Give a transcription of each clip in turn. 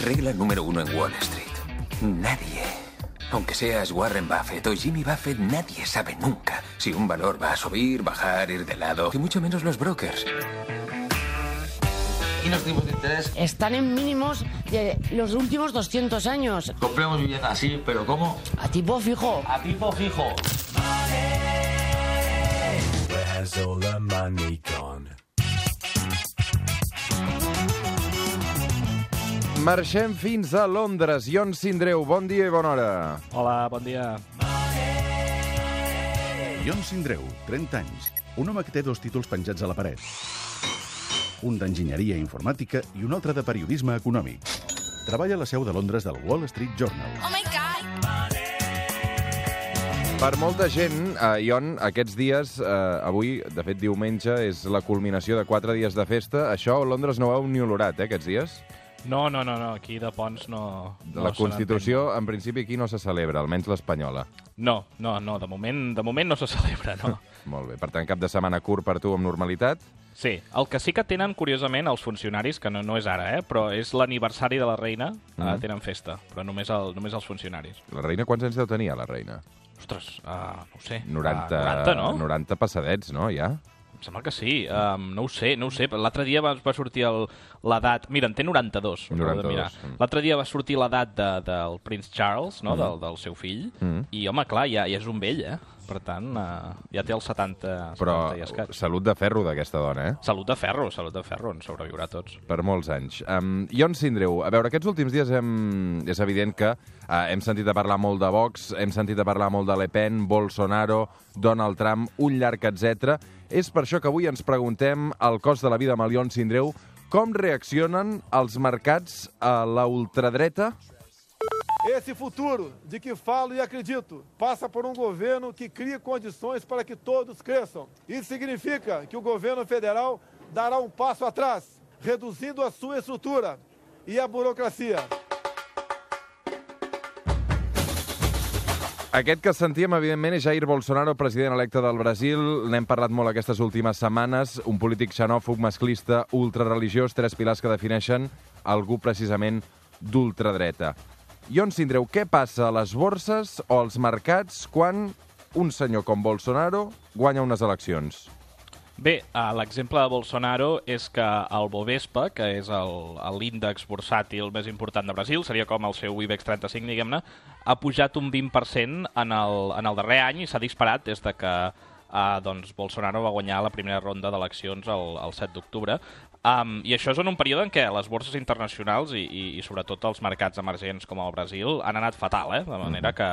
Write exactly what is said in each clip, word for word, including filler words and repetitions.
Regla número uno en Wall Street. Nadie, aunque seas Warren Buffett o Jimmy Buffett, nadie sabe nunca si un valor va a subir, bajar, ir de lado, y mucho menos los brokers. ¿Y los tipos de interés? Están en mínimos de los últimos doscientos años. Compremos vivienda así, pero ¿cómo? A tipo fijo. A tipo fijo. Where's all the money gone? Marxem fins a Londres. Ion Sindreu, bon dia i bona hora. Hola, bon dia. Ion Sindreu, trenta anys. Un home que té dos títols penjats a la paret. Un d'enginyeria informàtica i un altre de periodisme econòmic. Treballa a la seu de Londres del Wall Street Journal. Oh my God! Per molta gent, eh, Ion, aquests dies, eh, avui, de fet diumenge, és la culminació de quatre dies de festa. Això a Londres no ho heu ni olorat, eh, aquests dies? No, no, no, no. Aquí de Ponts no... De la no Constitució, en principi, aquí no se celebra, almenys l'espanyola. No, no, no, de moment, de moment no se celebra, no. Molt bé. Per tant, cap de setmana curt per tu amb normalitat? Sí, el que sí que tenen, curiosament, els funcionaris, que no, no és ara, eh, però és l'aniversari de la reina, mm. eh, tenen festa, però només, el, només els funcionaris. La reina, quants anys deu tenir, la reina? Ostres, uh, no ho sé. noranta, Uh, noranta, no? noranta passadets, no, ja? Em sembla que sí. Um, no ho sé, no ho sé. L'altre dia va, va sortir el, l'edat... Mira, en té noranta-dos. noranta-dos. L'altre dia va sortir l'edat de, del Prince Charles, no? Mm. del, del seu fill, Mm. i, home, clar, ja, ja és un vell, eh? Per tant, uh, ja té els setanta, Però setanta i escaig. salut de ferro d'aquesta dona, eh? Salut de ferro, salut de ferro, en sobreviurà tots. Per molts anys. Um, Ion Sindreu, a veure, aquests últims dies hem... és evident que uh, hem sentit a parlar molt de Vox, hem sentit a parlar molt de Le Pen, Bolsonaro, Donald Trump, un llarg etcètera. És per això que avui ens preguntem al cost de la vida amb el Ion Sindreu com reaccionen els mercats a la ultradreta? Esse futuro de que falo e acredito passa por um governo que crie condições para que todos cresçam. Isso significa que o governo federal dará um passo atrás, reduzindo a sua estrutura e a burocracia. Aquest que sentíem, evidentment, és Jair Bolsonaro, president electe del Brasil. N'hem parlat molt aquestes últimes setmanes. Un polític xenòfob, masclista, ultrareligiós, tres pilars que defineixen algú precisament d'ultradreta. Ion Sindreu, què passa a les borses o als mercats quan un senyor com Bolsonaro guanya unes eleccions? Bé, l'exemple de Bolsonaro és que el Bovespa, que és l'índex bursàtil més important de Brasil, seria com el seu IBEX trenta-cinc, diguem-ne, ha pujat un vint per cent en el, en el darrer any i s'ha disparat des de que eh, doncs Bolsonaro va guanyar la primera ronda d'eleccions el, el set d'octubre. Um, I això és en un període en què les borses internacionals i, i, i sobretot els mercats emergents com el Brasil han anat fatal, eh? De manera que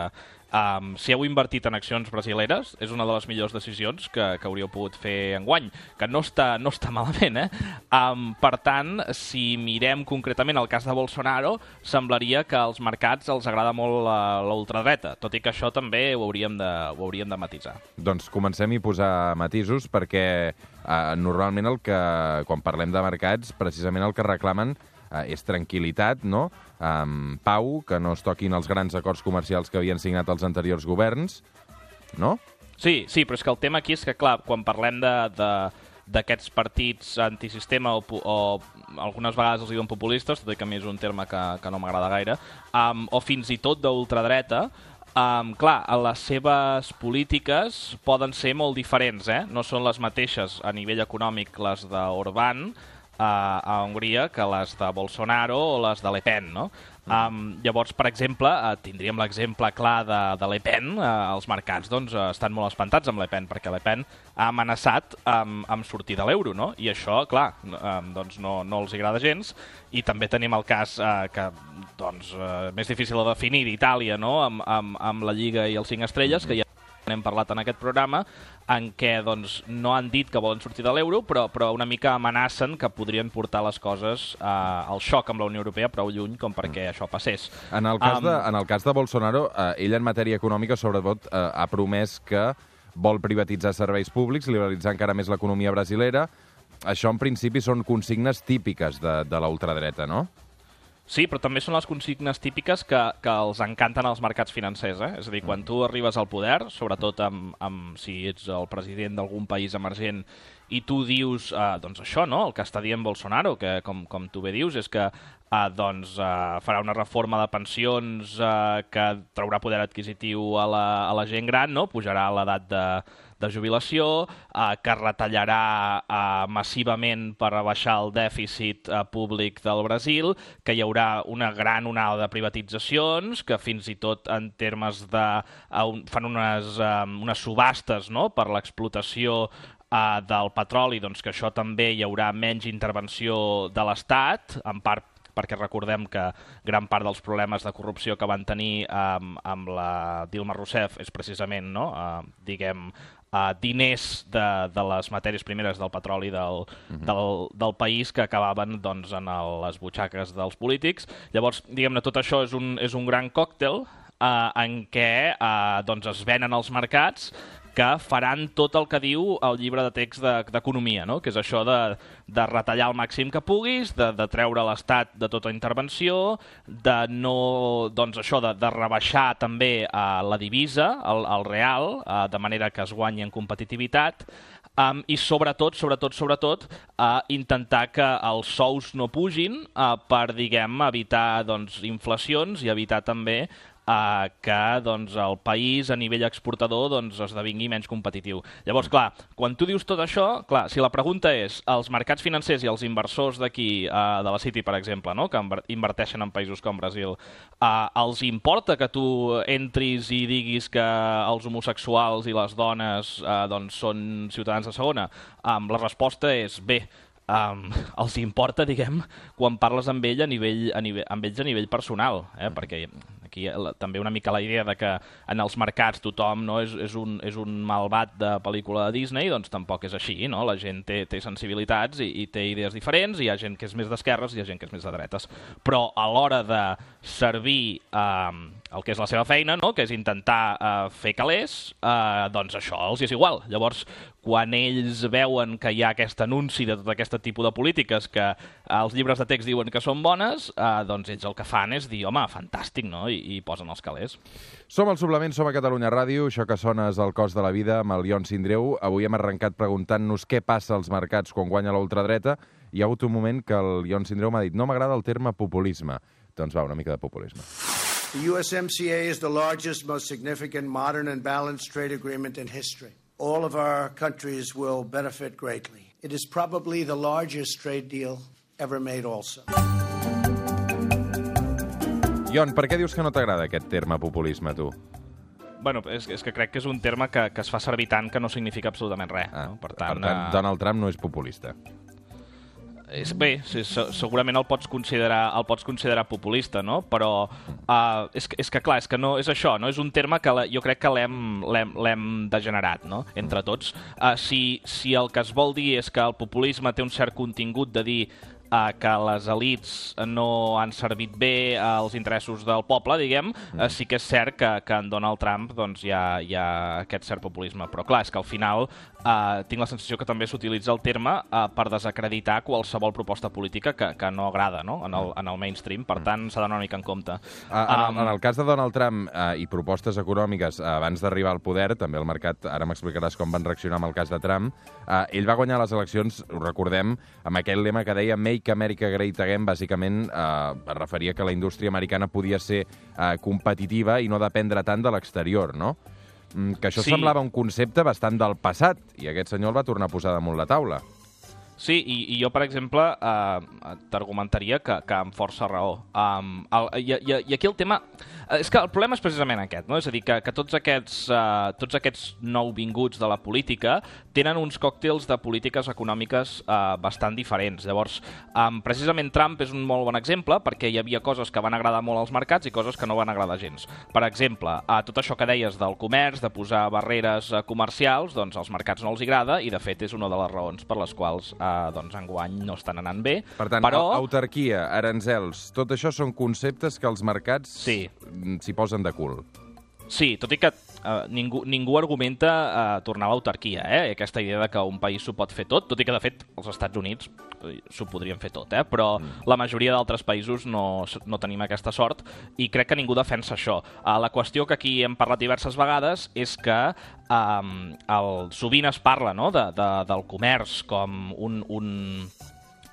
um, si heu invertit en accions brasileres és una de les millors decisions que, que hauríeu pogut fer enguany, que no està, no està malament, eh? Um, per tant, si mirem concretament el cas de Bolsonaro, semblaria que als mercats els agrada molt la, la ultradreta, tot i que això també ho hauríem de, ho hauríem de matisar. Doncs comencem a posar matisos perquè Uh, normalment el que, quan parlem de mercats, precisament el que reclamen uh, és tranquil·litat, no? Um, pau, que no es toquin els grans acords comercials que havien signat els anteriors governs, no? Sí, sí, però és que el tema aquí és que, clar, quan parlem de, de, d'aquests partits antisistema o, o algunes vegades els diuen populistes, tot i que a mi és un terme que, que no m'agrada gaire, um, o fins i tot d'ultradreta, Um, clar, les seves polítiques poden ser molt diferents, eh? No són les mateixes a nivell econòmic les d'Orbán uh, a Hongria que les de Bolsonaro o les de Le Pen, no? Um, llavors, per exemple, uh, tindríem l'exemple clar de, de Le Pen. Uh, els mercats doncs, uh, estan molt espantats amb Le Pen, perquè Le Pen ha amenaçat um, amb sortir de l'euro, no? I això, clar, um, doncs no, no els agrada gens. I també tenim el cas uh, que, doncs, uh, més difícil de definir d'Itàlia, no? Amb, amb, amb la Lliga i els cinc estrelles, que ja n'hem parlat en aquest programa, en què doncs, no han dit que volen sortir de l'euro, però, però una mica amenacen que podrien portar les coses eh, al xoc amb la Unió Europea prou lluny com perquè això passés. En el cas, Um, de, en el cas de Bolsonaro, eh, ell en matèria econòmica, sobretot, eh, ha promès que vol privatitzar serveis públics, liberalitzar encara més l'economia brasilera. Això, en principi, són consignes típiques de, de la ultradreta, no? Sí, però també són les consignes típiques que, que els encanten als mercats financers, eh? És a dir, quan tu arribes al poder, sobretot amb, amb, si ets el president d'algun país emergent, i tu dius, eh, doncs això, no?, el que està dient Bolsonaro, que com, com tu bé dius, és que eh, doncs, eh, farà una reforma de pensions eh, que traurà poder adquisitiu a la, a la gent gran, no? Pujarà l'edat de, de jubilació, eh, que retallarà eh, massivament per rebaixar el dèficit eh, públic del Brasil, que hi haurà una gran onada de privatitzacions, que fins i tot en termes de... Eh, un, fan unes, eh, unes subhastes, no?, per l'explotació eh, del petroli, doncs que això també hi haurà menys intervenció de l'Estat, en part perquè recordem que gran part dels problemes de corrupció que van tenir eh, amb la Dilma Rousseff és precisament, no?, eh, diguem, eh, diners de, de les matèries primeres del petroli del, uh-huh. del, del país que acabaven doncs, en el, les butxaques dels polítics. Llavors, diguem-ne, tot això és un, és un gran còctel eh, en què eh, doncs es venen als mercats que faran tot el que diu el llibre de text d'economia, no? Que és això de, de retallar el màxim que puguis, de, de treure l'Estat de tota intervenció, de no, doncs això, de, de rebaixar també eh, la divisa, el, el real, eh, de manera que es guanyi en competitivitat, um, i sobretot, sobretot, sobretot, eh, intentar que els sous no pugin eh, per, diguem, evitar doncs, inflacions i evitar també Uh, que doncs, el país a nivell exportador doncs, esdevingui menys competitiu. Llavors, clar, quan tu dius tot això, clar, si la pregunta és els mercats financers i els inversors d'aquí, uh, de la City, per exemple, no?, que inverteixen en països com Brasil, uh, els importa que tu entris i diguis que els homosexuals i les dones uh, doncs, són ciutadans de segona? Um, la resposta és bé. Um, els importa, diguem, quan parles amb, ell a nivell, a nivell, amb ells a nivell personal, eh? Perquè aquí la, també una mica la idea de que en els mercats tothom, no, és, és, un, és un malvat de pel·lícula de Disney, doncs tampoc és així, no? La gent té, té sensibilitats i, i té idees diferents, hi ha gent que és més d'esquerres i hi ha gent que és més de dretes. Però a l'hora de servir eh, el que és la seva feina, no?, que és intentar eh, fer calés, eh, doncs això els és igual. Llavors, quan ells veuen que hi ha aquest anunci de tot aquest tipus de polítiques que els llibres de text diuen que són bones, eh, doncs ells el que fan és dir, home, fantàstic, no?, i, i posen els calés. Som al Suplement, som a Catalunya Ràdio, això que sona és El cost de la vida amb el Ion Sindreu. Avui hem arrencat preguntant-nos què passa als mercats quan guanya la ultradreta. Hi ha hagut un moment que el Ion Sindreu m'ha dit no m'agrada el terme populisme. Doncs va, una mica de populisme. The U S M C A is the largest, most significant modern and balanced trade agreement in history. All of our countries will benefit greatly. It is probably the largest trade deal ever made also. Ion, per què dius que no t'agrada aquest terme populisme, tu? Bueno, és, és que crec que és un terme que, que es fa servir tant que no significa absolutament res. Ah, no? Per tant, per tant uh... Donald Trump no és populista. És, bé, sí, segurament el pots considerar, el pots considerar populista, no? Però uh, és, és que, clar, és que no és això, no? És un terme que la, jo crec que l'hem degenerat, no?, entre tots. Uh, si, si el que es vol dir és que el populisme té un cert contingut de dir Uh, que les elites no han servit bé als interessos del poble, diguem, uh, sí que és cert que, que en Donald Trump doncs, hi, ha, hi ha aquest cert populisme. Però clar, és que al final uh, tinc la sensació que també s'utilitza el terme uh, per desacreditar qualsevol proposta política que, que no agrada, no?, en, el, en el mainstream. Per tant, s'ha d'anar una mica en compte. Uh, en, um, en el cas de Donald Trump uh, i propostes econòmiques uh, abans d'arribar al poder, també el mercat, ara m'explicaràs com van reaccionar amb el cas de Trump, uh, ell va guanyar les eleccions, ho recordem, amb aquell lema que deia Make America Great Again, bàsicament eh, es referia que la indústria americana podia ser eh, competitiva i no dependre tant de l'exterior, no? Mm, que això sí. Semblava un concepte bastant del passat, i aquest senyor el va tornar a posar damunt la taula. Sí, i, i jo, per exemple, eh, t'argumentaria que, que amb força raó. Um, el, i, i, I aquí el tema... És que el problema és precisament aquest, no? És a dir, que, que tots, aquests, uh, tots aquests nouvinguts de la política tenen uns còctels de polítiques econòmiques uh, bastant diferents. Llavors, um, precisament Trump és un molt bon exemple perquè hi havia coses que van agradar molt als mercats i coses que no van agradar gens. Per exemple, uh, tot això que deies del comerç, de posar barreres uh, comercials, doncs als mercats no els agrada i, de fet, és una de les raons per les quals uh, doncs, enguany no estan anant bé. Per tant, però... autarquia, aranzels, tot això són conceptes que els mercats sí. s'hi posen de cul. Sí, tot i que uh, ningú, ningú argumenta uh, tornar a l'autarquia, eh? Aquesta idea de que un país s'ho pot fer tot, tot i que, de fet, els Estats Units s'ho podrien fer tot, eh? Però mm. la majoria d'altres països no, no tenim aquesta sort i crec que ningú defensa això. Uh, la qüestió que aquí hem parlat diverses vegades és que um, el, sovint es parla, no?, de, de, del comerç com un... un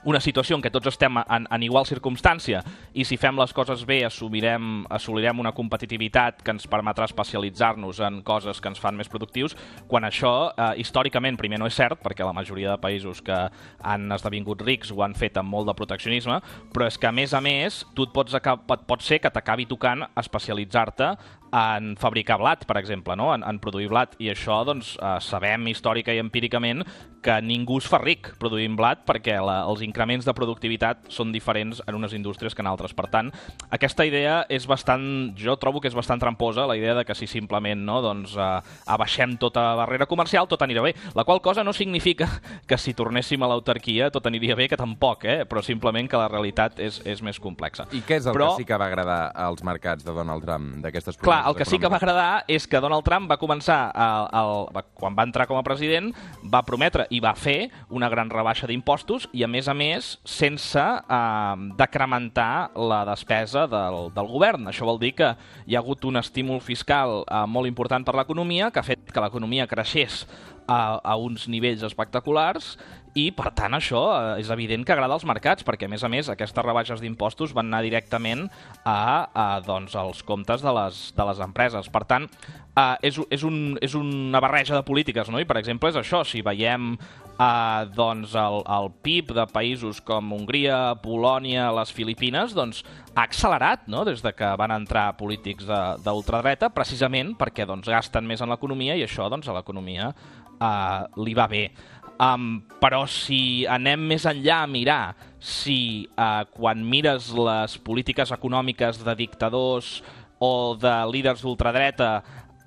una situació en què tots estem en, en igual circumstància i si fem les coses bé assolirem, assolirem una competitivitat que ens permetrà especialitzar-nos en coses que ens fan més productius, quan això eh, històricament primer no és cert, perquè la majoria de països que han esdevingut rics ho han fet amb molt de proteccionisme, però és que a més a més tu et pots pot, pot ser que t'acabi tocant especialitzar-te en fabricar blat, per exemple, no? en, en produir blat, i això doncs, eh, sabem històrica i empíricament que ningú es fa ric produint blat perquè la, els increments de productivitat són diferents en unes indústries que en altres. Per tant, aquesta idea és bastant, jo trobo que és bastant tramposa, la idea de que si simplement no, doncs, eh, abaixem tota barrera comercial tot anirà bé, la qual cosa no significa que si tornéssim a l'autarquia tot aniria bé, que tampoc, eh? però simplement que la realitat és, és més complexa. I què és el però, que sí que va agradar als mercats de Donald Trump, d'aquestes promeses? Clar, el que sí que va agradar és que Donald Trump va començar, a, a, quan va entrar com a president, va prometre i va fer una gran rebaixa d'impostos i, a més a més, sense eh, decrementar la despesa del, del govern. Això vol dir que hi ha hagut un estímul fiscal eh, molt important per l'economia, que ha fet que l'economia creixés a, a uns nivells espectaculars i, per tant, això eh, és evident que agrada als mercats, perquè, a més a més, aquestes rebaixes d'impostos van anar directament a, a doncs, als comptes de les, de les empreses. Per tant, eh, és, és, un, és una barreja de polítiques, no? I, per exemple, és això. Si veiem eh, doncs, el, el P I B de països com Hongria, Polònia, les Filipines, doncs, ha accelerat, no? Des de que van entrar polítics d'ultradreta, precisament perquè doncs, gasten més en l'economia i això doncs, a l'economia eh, li va bé. Um, però si anem més enllà a mirar si uh, quan mires les polítiques econòmiques de dictadors o de líders d'ultradreta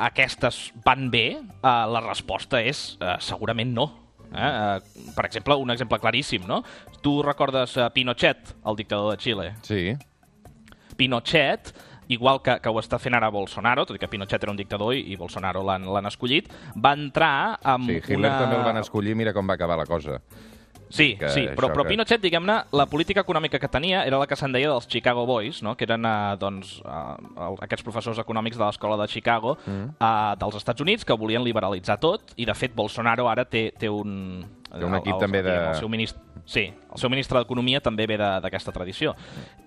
aquestes van bé, uh, la resposta és uh, segurament no. Eh? Uh, per exemple, un exemple claríssim, no? Tu recordes uh, Pinochet, el dictador de Xile? Sí. Pinochet, igual que, que ho està fent ara Bolsonaro, tot i que Pinochet era un dictador i, i Bolsonaro l'han escollit, va entrar amb sí, Hitler una... també el van escollir, mira com va acabar la cosa. Sí, que sí, però, però que... Pinochet, diguem-ne, la política econòmica que tenia era la que se'n deia dels Chicago Boys, no? Que eren eh, doncs, eh, aquests professors econòmics de l'escola de Chicago mm. eh, dels Estats Units que volien liberalitzar tot, i de fet Bolsonaro ara té, té un... Té un equip el, també de... El seu ministre, sí, el seu ministre d'Economia també ve d'aquesta tradició.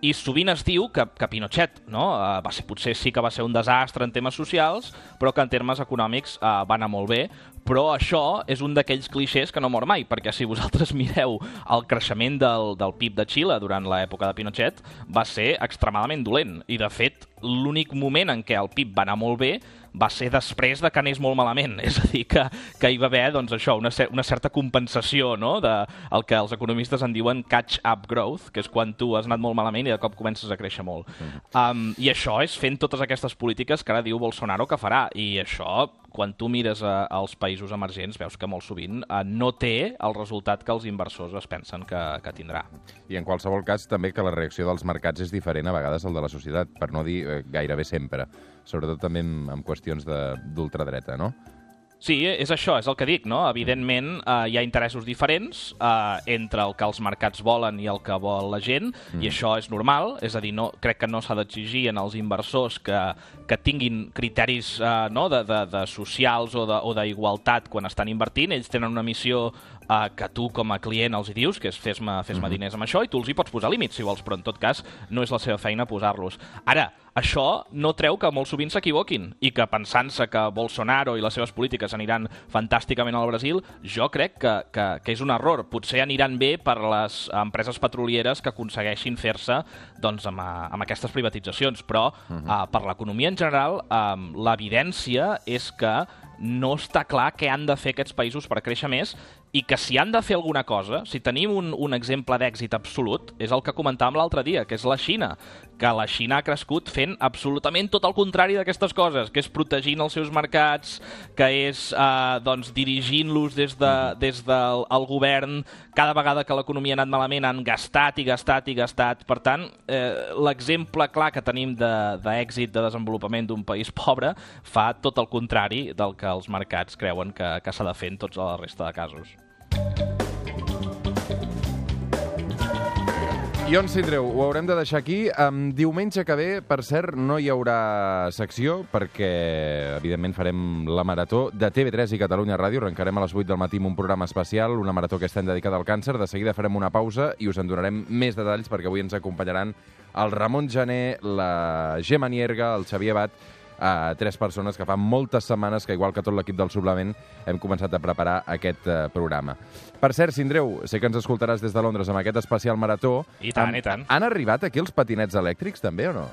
I sovint es diu que, que Pinochet no, eh, va ser, potser sí que va ser un desastre en temes socials, però que en termes econòmics eh, va anar molt bé. Però això és un d'aquells clixés que no mor mai, perquè si vosaltres mireu el creixement del, del P I B de Xile durant l'època de Pinochet, va ser extremadament dolent. I, de fet, l'únic moment en què el P I B va anar molt bé va ser després de que anés molt malament. És a dir, que, que hi va haver doncs, això, una, una certa compensació, no?, de el que els economistes en diuen catch-up growth, que és quan tu has anat molt malament i de cop comences a créixer molt. Mm. Um, I això és fent totes aquestes polítiques que ara diu Bolsonaro que farà. I això, quan tu mires a, als països emergents, veus que molt sovint uh, no té el resultat que els inversors es pensen que, que tindrà. I en qualsevol cas també que la reacció dels mercats és diferent a vegades al de la societat, per no dir eh, gairebé sempre, sobretot també en, en qüestions d'ultradreta, no? Sí, és això, és el que dic, no? Evidentment eh, hi ha interessos diferents eh, entre el que els mercats volen i el que vol la gent, mm. i això és normal, és a dir, no, crec que no s'ha d'exigir en els inversors que, que tinguin criteris eh, no, de, de, de socials o d'igualtat quan estan invertint. Ells tenen una missió eh, que tu com a client els hi dius, que és fes-me fes mm-hmm. diners amb això, i tu els hi pots posar límits si vols, però en tot cas no és la seva feina posar-los. Ara, això no treu que molt sovint s'equivoquin i que pensant-se que Bolsonaro i les seves polítiques aniran fantàsticament al Brasil, jo crec que, que, que és un error. Potser aniran bé per les empreses petrolieres que aconsegueixin fer-se doncs, amb, amb aquestes privatitzacions, però uh-huh. uh, per l'economia en general um, l'evidència és que no està clar què han de fer aquests països per créixer més i que si han de fer alguna cosa, si tenim un, un exemple d'èxit absolut, és el que comentàvem l'altre dia, que és la Xina, que la Xina ha crescut fent absolutament tot el contrari d'aquestes coses, que és protegint els seus mercats, que és eh, doncs, dirigint-los des, de, des del el govern. Cada vegada que l'economia ha anat malament han gastat i gastat i gastat. Per tant, eh, l'exemple clar que tenim d'èxit de, de desenvolupament d'un país pobre fa tot el contrari del que els mercats creuen que, que s'ha de fer en tots la resta de casos. Ion Sindreu, ho haurem de deixar aquí. Um, diumenge que ve, per cert, no hi haurà secció perquè, evidentment, farem la marató de T V tres i Catalunya Ràdio. Arrencarem a les vuit del matí amb un programa especial, una marató que estem dedicada al càncer. De seguida farem una pausa i us en donarem més detalls perquè avui ens acompanyaran el Ramon Gené, la Gemma Nierga, el Xavier Bat, a tres persones que fa moltes setmanes que, igual que tot l'equip del Suplement, hem començat a preparar aquest uh, programa. Per cert, Sindreu, sé que ens escoltaràs des de Londres amb aquest especial marató. I tant, um, i tant. Han arribat aquí els patinets elèctrics, també, o no?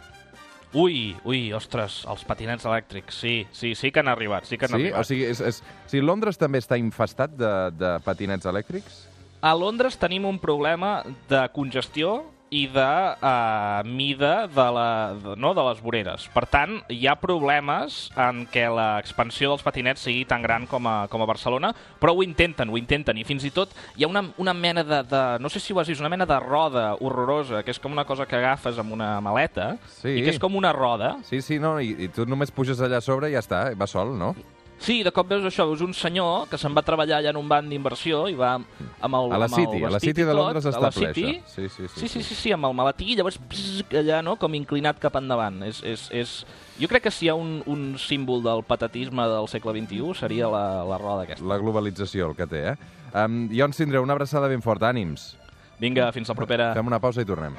Ui, ui, ostres, els patinets elèctrics, sí, sí, sí que han arribat, sí que han sí? arribat. O sigui, és, és, o sigui, Londres també està infestat de, de patinets elèctrics? A Londres tenim un problema de congestió i de uh, mida de, la, de, no, de les voreres. Per tant, hi ha problemes en què l'expansió dels patinets sigui tan gran com a, com a Barcelona, però ho intenten, ho intenten, i fins i tot hi ha una, una mena de, de, no sé si ho has vist, una mena de roda horrorosa, que és com una cosa que agafes amb una maleta, sí. i que és com una roda. Sí, sí, no, i, i tu només puges allà a sobre i ja està, va sol, no? Sí, de cop veus això, veus un senyor que se'n va treballar allà en un banc d'inversió i va amb el, a la amb City, el a la City de Londres està ple, això. Sí, sí, sí, sí, sí, sí, amb el maletí, i llavors bzz, allà, no?, com inclinat cap endavant. És, és, és... Jo crec que si hi ha un, un símbol del patatisme del segle vint-i-u seria la, la roda aquesta. La globalització, el que té, eh? Um, Ion Sindreu, una abraçada ben forta, ànims. Vinga, fins la propera. Fem una pausa i tornem.